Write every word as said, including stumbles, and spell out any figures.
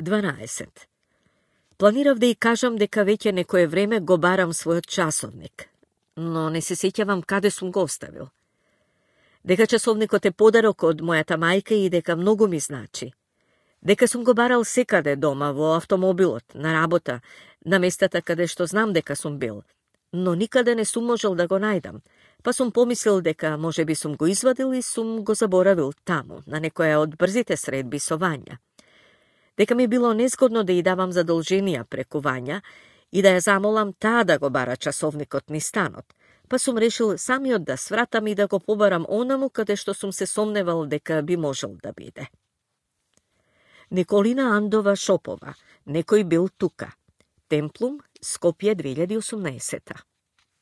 дванаесет. Планирав да и кажам дека веќе некое време го барам својот часовник, но не се сеќавам каде сум го оставил. Дека часовникот е подарок од мојата мајка и дека многу ми значи. Дека сум го барал секаде дома, во автомобилот, на работа, на местата каде што знам дека сум бил, но никаде не сум можел да го најдам, па сум помислил дека може би сум го извадил и сум го заборавил таму, на некоја од брзите средби со Вања. Дека ми било незгодно да ја давам задолженија преку Вања и да ја замолам таа да го бара часовникот низ станот, па сум решил самиот да свратам и да го побарам онаму каде што сум се сомневал дека би можел да биде. Николина Андова Шопова, Некој бил тука. Темплум, Скопје две илјади и осумнаесета.